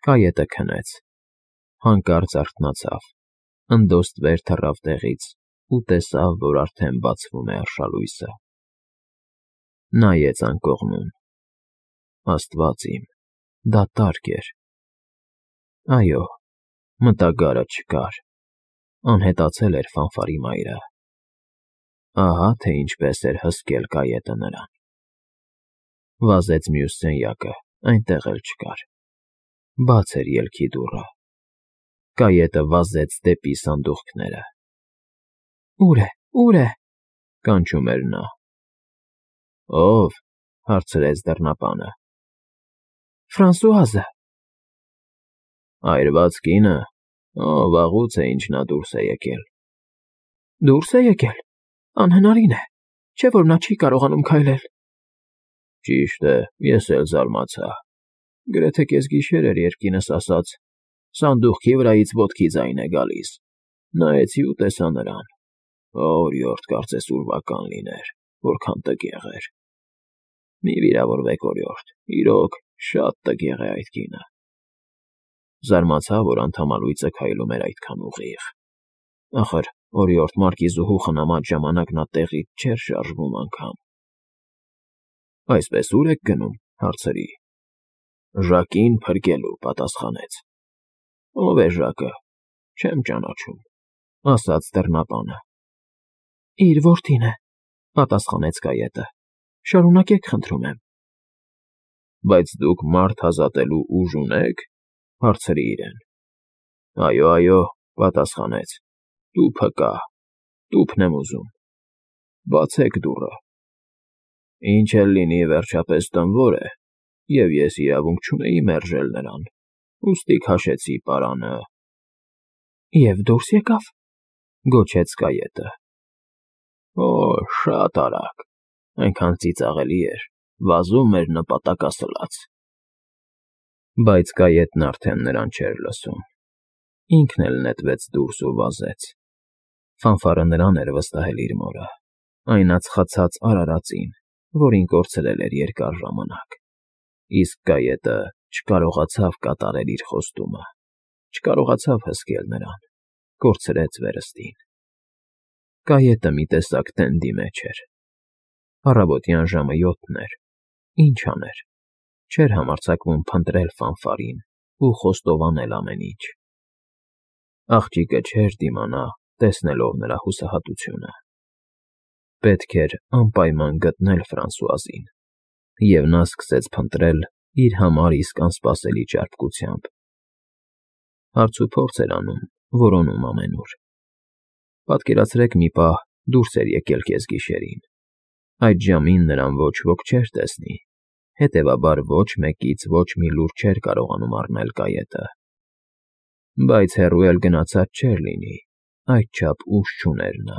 Կայետը քնեց, հանկարծ արթնացավ, ընդոստ վեր թռավ տեղից ու տեսավ, որ արդեն բացվում է արշալույսը. նայեց անկողնում. Աստված իմ, դատարկ էր, այո, մտագարը չկար, անհետացել էր Ֆանֆարի մայրը, ահա թե ինչպես էր հսկել կայետը նրան, վազեց մյուս սենյակը, այնտեղ էլ չկար, բաց էր ելքի դուռը, կայետը վազեց դեպի սանդուղքները. Ուր է, կանչում էր նա. Ո՞վ, հարցրեց դռնապանը. Ֆրանսուազը, այրված կինը, վաղուց է ինչ նա դուրս է եկել, դուրս է եկել, անհնարին է, չէ որ նա չի կարողանում քայլել, ճիշտ է, ես էլ զարմացա, գրեթե կեսգիշեր էր, երբ կինս ասաց, սանդուղքի վրայից ոտքի ձայն է գալիս, նայեցի ու տեսա նրան, օրիորդ կարծես ուրվական լիներ, որքան տգեղ էր, մի վիրավորվեք օրիորդ, իրոք, շատ տգեղ է այդ կինը, զարմացա, որ անդամալույծը քայլում էր այդքան ուղիղ, ախր, օրիորդ մարկիզուհու խնամած ժամանակ նա տեղից չէր շարժվում անգամ, այսպես ուր եք գնում, հարցրի, Ժակին փրկելու, պատասխանեց, ով է Ժակը, չեմ ճանաչում, ասաց դռնապանը, իր որդին է, պատասխանեց կայետը, շարունակեք խնդրում եմ, բայց դուք մարդ ազատելու ուժ ունեք, հարցրի իրեն, այո, պատասխանեց, տուփը կա, տուփն եմ ուզում, բացեք դուռը, ինչ էլ լինի վերջապես տնվոր է, և ես իրավունք չունեի մերժել նրան, ուստի քաշեցի պարանը, և դուրս եկավ, գոչեց կայետը, շատ արագ, այնքան ծիծաղելի էր, վազում էր նպատակասլաց, բայց կայետն արդեն նրան չէր լսում, ինքն էլ նետվեց դուրս ու վազեց, Ֆանֆարը նրան էր վստահել իր մորը, այն ածխացած արարածին, որին կորցրել էր երկար ժամանակ, իսկ կայետը չկարողացավ կատարել իր խոստումը, չկարողացավ հսկել նրան, կորցրեց վերստին, կայետը մի տեսակ տենդի մեջ էր, առավոտյան ժամը 7 էր, ինչ աներ, չէր համարձակվում փնտրել Ֆանֆարին ու խոստովանել ամեն ինչ, աղջիկը չէր դիմանա, տեսնելով նրա հուսահատությունը, պետք էր անպայման գտնել Ֆրանսուազին, և նա սկսեց փնտրել իր համար իսկ անսպասելի ճարպկությամբ, հարցուփորձ էր անում, որոնում ամենուր, պատկերացրեք մի պահ դուրս էր եկել կեսգիշերին, այդ ժամին նրան ոչ ոք չէր տեսնի, հետևաբար ոչ մեկից ոչ մի լուր չէր կարողանում առնել կայետը, բայց հեռու էլ գնացած չէր լինի, այդչափ ուժ չուներ նա,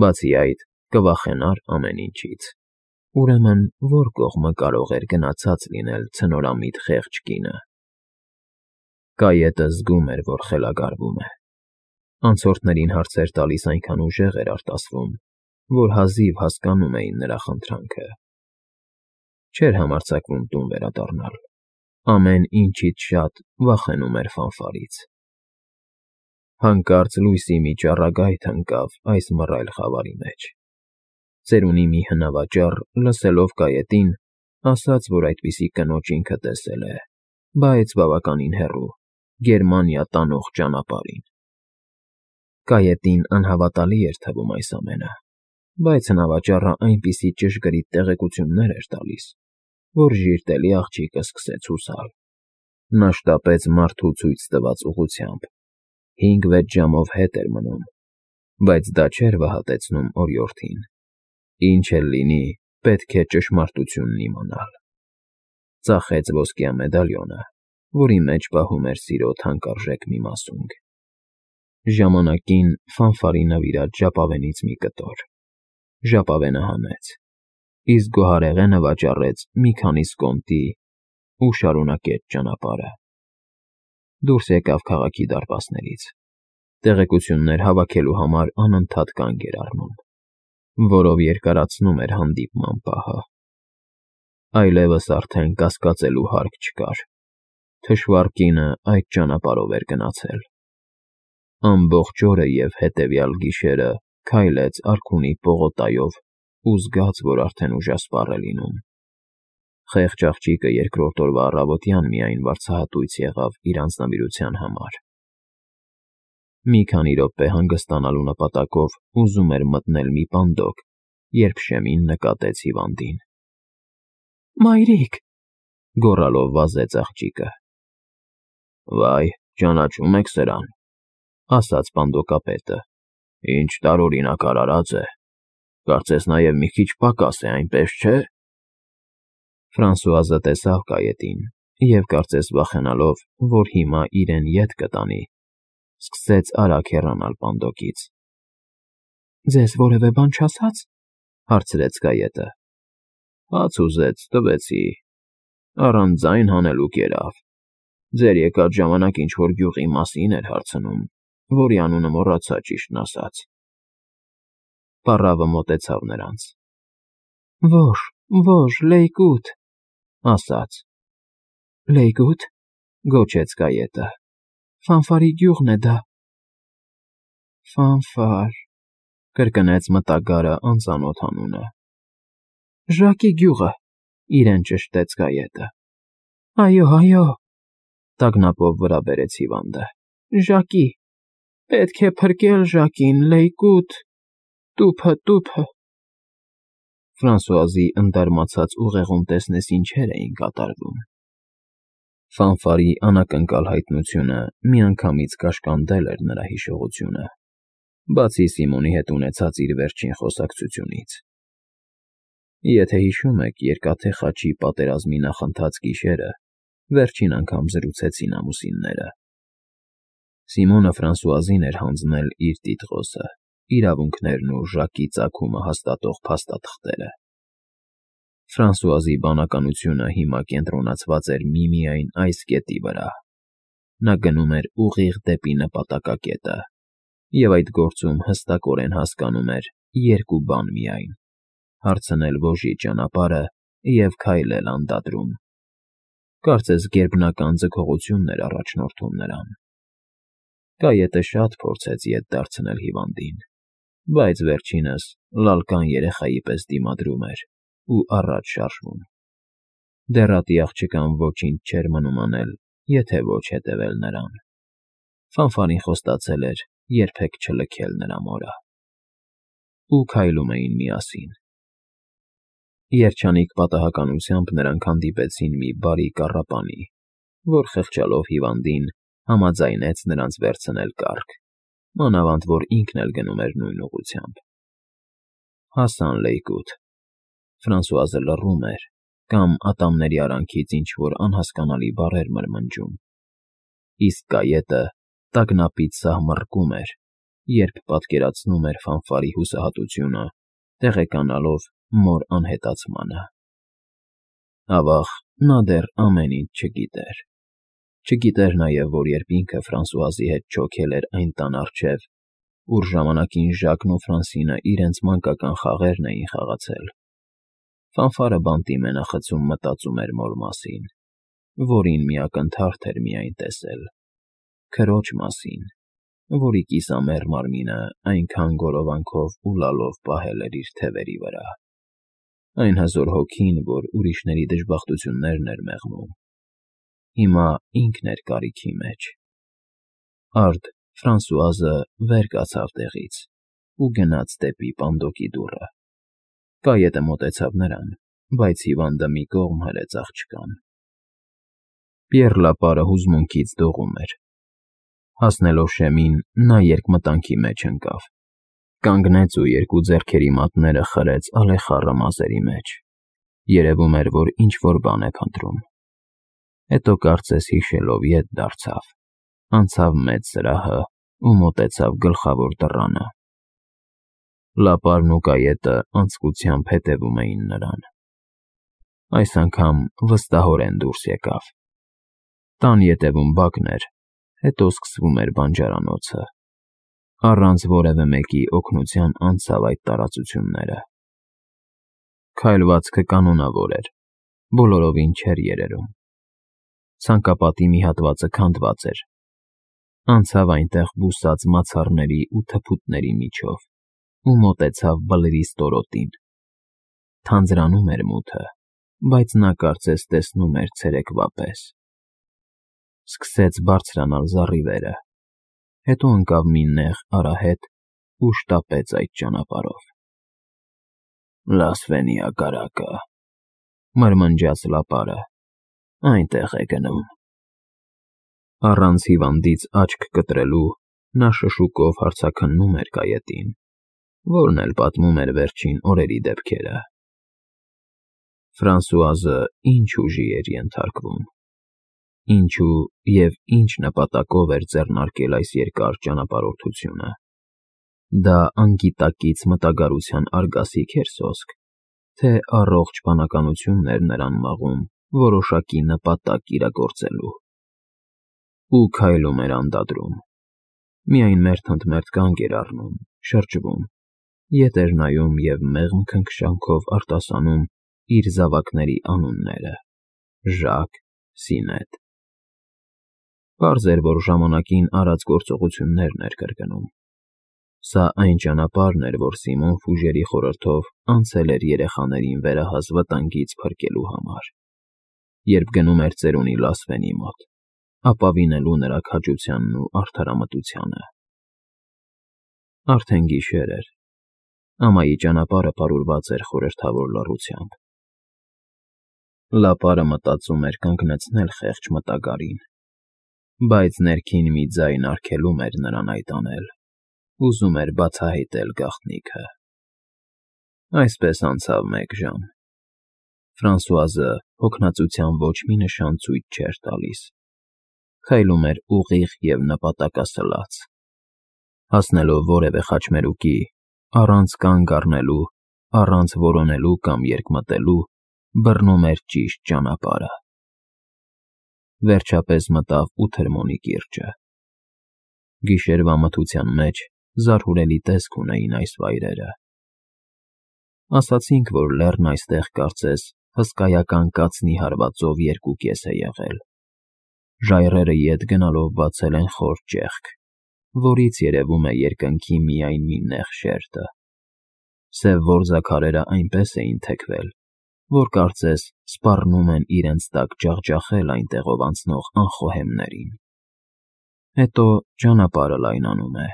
բացի այդ կվախենար ամեն ինչից, ուրեմն որ կողմը կարող էր գնացած լինել ցնորամիտ խեղճ կինը, կայետը զգում էր, որ խելագարվում է, անցորդներին հարցեր տալիս այնքան ուժեղ էր արտասվում, որ հազիվ հասկանում էին նրա խնդրանքը, չէր համարձակվում տուն վերադառնալ, ամեն ինչից շատ վախենում էր Ֆանֆարից, հանկարծ լույսի մի ճառագայթ ընկավ այս մռայլ խավարի մեջ, ծերունի մի հնավաճառ, լսելով կայետին, ասաց, որ այդպիսի կնոջ ինքը տեսել է, բայց բավականին հեռու, Գերմանիա տանող ճանապարհին, կայետին անհավատալի էր թվում այս ամենը, բայց հնավաճառը այնպիսի ճշգրիտ տեղեկություններ էր տալիս, որ ժիրտելի աղջիկը սկսեց հուսալ, նա շտապեց մարդու ցույց տված ուղղությամբ, 5-6 ժամով հետ էր մնում, բայց դա չէր վհատեցնում օրիորդին, ինչ էլ լինի, պետք է ճշմարտությունն իմանալ, ծախեց ոսկյա մեդալյոնը, որի մեջ պահում էր սիրո թանկարժեք մի մասունք, ժամանակին Ֆանֆարի նվիրած ժապավենից մի կտոր, ժապավենը հանեց, իսկ գոհարեղենը վաճառեց մի քանի սկոնտի ու շարունակեց ճանապարհը, դուրս եկավ քաղաքի դարպասներից, տեղեկություններ հավաքելու համար անընդհատ կանգ էր առնում, որով երկարացնում էր հանդիպման պահը, այլևս արդեն կասկածելու հարկ չկար, Թշվառ կինը այդ ճանապարհով էր գնացել։ Ամբողջ օրը և հետևյալ գիշերը քայլեց արքունի պողոտայով ու զգաց, որ արդեն ուժասպառ է լինում։ Խեղճ աղջիկը երկրորդ օրվա առավոտյան միայն վարձահատույց եղավ իր անձնավորության համար։ Մի քանի րոպե հանգստանալու նպատակով ուզում էր մտնել մի պանդոկ, երբ շեմին նկատեց հիվանդին։ «Մայրիկ», գոռալով վազեց աղջիկը։ «Վայ, ճանաչում եք սրան», ասաց պանդոկապետը։ «Ինչ տարօրինակ արարած է։ Կարծես նաև մի քիչ պակաս է, այնպես չէ՞»։ Ֆրանսուազը տեսավ կայետին և, կարծես վախենալով, որ հիմա իրեն ետ կտանի, սկսեց արագ հեռանալ պանդոկից։ «Ձեզ որևէ բան չասա՞ց», հարցրեց կայետը։ «Հաց ուզեց, տվեցի։ Առանց ձայն հանելու կերավ։ Ձեր եկած ժամանակ ինչ֊որ գյուղի մասին էր հարցնում, որի անունը մոռացա, ճիշտն ասած»։ Պառավը մոտեցավ նրանց։ «Ոչ, լեյկուտ», ասաց։ «Լեյկուտ», գոչեց կայետը։ «Ֆանֆարի գյուղն է դա»։ «Ֆանֆար», կրկնեց մտագարը անծանոթ անունը։ «Ժակի գյուղը», իրեն ճշտեց կայետը։ «Այո», տագնապով վրա բերեց հիվանդը։ «Ժակի, պետք է փրկել Ժակին, լեյկուտ, տուփը։ Ֆրանսուազի ընդարմացած ուղեղում տեսնես ինչեր էին կատարվում։ Ֆանֆարի անակնկալ հայտնությունը միանգամից կաշկանդել էր նրա հիշողությունը, բացի Սիմոնի հետ ունեցած իր վերջին խոսակցությունից։ Եթե հիշում եք, Երկաթե խաչի պատերազմի նախընթաց գիշերը վերջին անգամ զրուցեցին ամուսինները։ Սիմոնը Ֆրանսուազին էր հանձնել իր տիտղոսը, իրավունքներն ու Ժակի ծագումը հաստատող փաստաթղթերը։ Ֆրանսուազի բանականությունը հիմա կենտրոնացված էր միմիայն այս կետի վրա. նա գնում էր ուղիղ դեպի նպատակակետը, և այդ գործում հստակորեն հասկանում էր երկու բան միայն՝ հարցնել ոժի ճանապարհը և քայլել անդադրում։ Կարծես գերբնական ձգողությունն էր առաջնորդում նրան։ Կայետը շատ փորձեց ետ դարձնել հիվանդին, բայց վերջինս լալկան երեխայի պես դիմադրում էր ու առաջ շարժվում։ Դեռատի աղջկան ոչինչ չէր մնում անել, եթե ոչ հետևել նրան։ Ֆանֆարին խոստացել էր երբեք չլքել նրա մորը։ Ու քայլում էին միասին։ Երջանիկ պատահականությամբ նրանք հանդիպեցին մի բարի կառապանի, որ խղճալով հիվանդին համաձայնեց նրանց վերցնել կառք, մանավանդ որ ինքն էլ գնում էր նույն ուղղությամբ։ Հասան լեյկուտ։ Ֆրանսուազը լռում էր կամ ատամների արանքից ինչ-որ անհասկանալի բառեր մրմնջում, իսկ կայետը տագնապից սահմռկում էր, երբ պատկերացնում էր Ֆանֆարի հուսահատությունը, տեղեկանալով մոր անհետացմանը։ Ավաղ, նա դեռ ամեն ինչ չգիտեր։ Չգիտեր նաև, որ երբ ինքը Ֆրանսուազի հետ չոքել էր այն տան առջև, ուր ժամանակին Ժակն ու Ֆրանսինը իրենց մանկական խաղերն էին խաղացել, Ֆանֆարը բանտի մենախցում մտածում էր մոր մասին, որին մի ակնթարթ էր միայն տեսել, քրոջ մասին, որի կիսամեռ մարմինը այնքան գորովանքով ու լալով պահել էր իր թևերի վրա։ Այն հզոր հոգին, որ ուրիշների դժբախտություններն էր մեղմում, հիմա ինքն էր կարիքի մեջ։ Արդ Ֆրանսուազը վեր կացավ տեղից ու գնաց դեպի պանդոկի դուռը։ Կայետը մոտեցավ նրան, բայց հիվանդը մի կողմ հրեց աղջկան։ Պիեռ Լապարը հուզմունքից դողում էր։ Հասնելով շեմին, նա երկմտանքի մեջ ընկավ, կանգնեց ու երկու ձեռքերի մատները խրեց ալեխառը մազերի մեջ։ Երևում էր, որ ինչ֊որ բան է փնտրում։ Հետո կարծես հիշելով ետ դարձավ, անցավ մեծ սրահը ու մոտեցավ գլխավոր դռանը։ Լապարն ու կայետը անձկությամբ հետևում էին նրան։ Այս անգամ վստահորեն դուրս եկավ։ Տան ետևում բակն էր, հետո սկսվում էր բանջարանոցը։ Առանց որևէ մեկի օգնության անցավ այդ տարածությունները։ Քայլվածքը կանոնավոր էր, բոլորովին չէր երերում։ Ցանկապատի մի հատվածը քանդված էր։ Անցավ այնտեղ բուսած մացառների ու թփուտների միջով ու մոտեցավ բլրի ստորոտին։ Թանձրանում էր մութը, բայց նա կարծես տեսնում էր ցերեկվա պես։ Սկսեց բարձրանալ զառիվերը, հետո ընկավ մի նեղ արահետ ու շտապեց այդ ճանապարհով։ Լասվենի հակառակը, մրմնջաց լապարը, այնտեղ է գնում։ Առանց հիվանդից աչք կտրելու նա շշուկով հարցաքննում էր կայետին, որն էլ պատմում էր վերջին օրերի դեպքերը։ Ֆրանսուազը ինչ ուժի էր ենթարկվում, ինչու և ինչ նպատակով էր ձեռնարկել այս երկար ճանապարհորդությունը։ Դա անգիտակից մտագարության արգասի՞ք էր սոսկ, թե առողջ բանականությունն էր նրան մաղում որոշակի նպատակ իրագործելու։ Ու քայլում էր անդադրում, միայն մերթ ընդ մերթ կանգ էր առնում, շրջվում, ետ էր նայում և մեղմ քնքշանքով արտասանում իր զավակների անունները՝ Ժակ, Սինետ։ Պարզ էր, որ ժամանակին արած գործողություններն էր կրկնում։ Սա այն ճանապարհն էր, որ Սիմոն Ֆուժերի խորհրդով անցել էր երեխաներին վերահաս վտանգից փրկելու համար, երբ գնում էր ծերունի Լասվենի մոտ, ապավինելու նրա քաջությանն ու արդարամտությանը։ Արդեն գիշեր էր, ամայի ճանապարհը պարուրված էր խորհրդավոր լռությամբ։ Լապարը մտածում էր կանգնեցնել խեղճ մտագարին, բայց ներքին մի ձայն արգելում էր նրան այդ անել, ուզում էր բացահայտել գաղտնիքը։ Այսպես անցավ 1 ժամ։ Ֆրանսուազը հոգնածության ոչ մի նշան ցույց չէր տալիս։ Քայլում էր ուղիղ և նպատակասլաց։ Հասնելով որևէ խաչմերուկի, առանց կանգ առնելու, առանց որոնելու կամ երկմտելու, բռնում էր ճիշտ ճանապարհը։ Վերջապես մտավ Ութրմոնի կիրճը։ Գիշերվա մթության մեջ զարհուրելի տեսք ունեին այս վայրերը։ Ասացինք, որ լեռն այստեղ կարծես հսկայական կացնի հարվածով երկուկես է եղել։ Ժայռերը ետ գնալով բացել են խոր ճեղք, որից երևում է երկնքի միայն մի նեղ շերտը։ Սև որձաքարերը այնպես էին թեքվել, որ կարծես սպառնում են իրենց տակ ջախջախել այնտեղով անցնող անխոհեմներին։ Հետո ճանապարհը լայնանում է,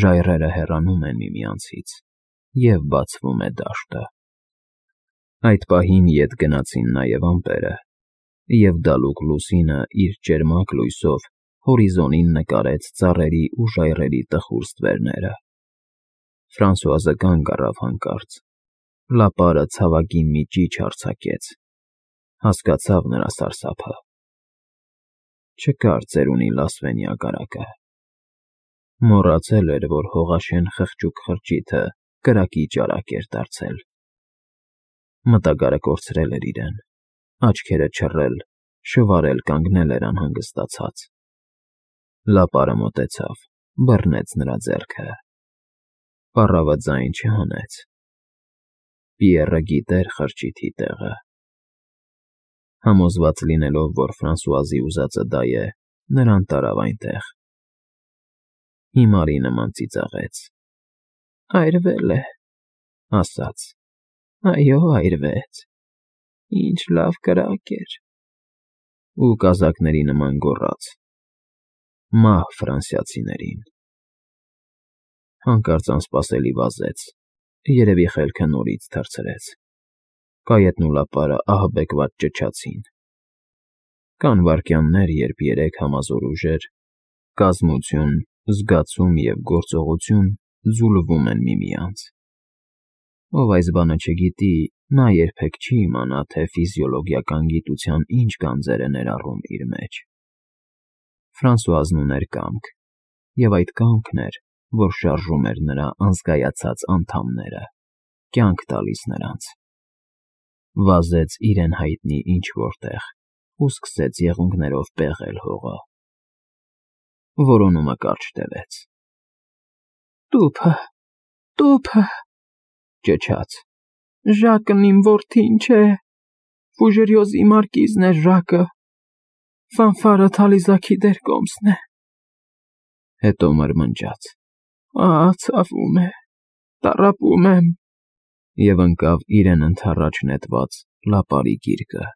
ժայռերը հեռանում են միմյանցից, և բացվում է դաշտը։ Այդ պահին ետ գնացին նաև ամպերը, և դալուկ լուսինը իր ճերմակ լույսով հորիզոնին նկարեց ծառերի ու ժայռերի տխուր ստվերները։ Ֆրանսուազը կանգ առավ հանկարծ, լապարը ցավագին մի ճիչ արձակեց, հասկացավ նրա սարսափը։ Չկար ծերունի Լասվենի հակառակը։ Մոռացել էր, որ հողաշեն խղճուկ խրճիթը կրակի ճարակ էր դարձել։ Մտագարը կորցրել էր իրեն, աչքերը չռել, շվարել կանգնել էր անհանգստացած։ Լապարը մոտեցավ, բռնեց նրա ձեռքը։ Պառավը ձայն չհանեց։ Պիեռը գիտեր խրճիթի տեղը։ Համոզված լինելով, որ Ֆրանսուազի ուզածը դա է, նրան տարավ այնտեղ։ Հիմարի նման ծիծաղեց։ Այրվել է, ասաց։ Այո, այրվեց։ Ինչ լավ կրակ էր։ Ու կազակների նման գոռաց. Մահ ֆրանսիացիներին։ Հանկարծ անսպասելի վազեց, երևի խելքը նորից թռցրեց։ Կայետն ու լապարը ահաբեկված ճչացին։ Կան վայրկյաններ, երբ երեք համազոր ուժեր՝ կազմություն, զգացում և գործողություն ձուլվում են միմյանց։ Ով այս բանը չգիտի, նա երբեք չի իմանա, թե ֆիզիոլոգիական գիտության ինչ գանձեր է ներառում իր մեջ։ Ֆրանսուազն ուներ կամք, և այդ կամքն էր, որ շարժում էր նրա անզգայացած անդամները, կյանք տալիս նրանց։ Վազեց իրեն հայտնի ինչ֊որ տեղ ու սկսեց եղունգներով պեղել հողը։ Որոնումը կարճ տևեց։ Տուփը, տուփը, ճչաց։ Ժակն իմ որդին չէ, Ֆուժերյոզի մարկիզն է Ժակը։ Ֆանֆարը թալիզաքի դեր կոմսն է։ Հետո մրմնջաց. Ցավում է, տառապում եմ, և ընկավ իրեն ընդառաջ նետված լապարի գիրկը։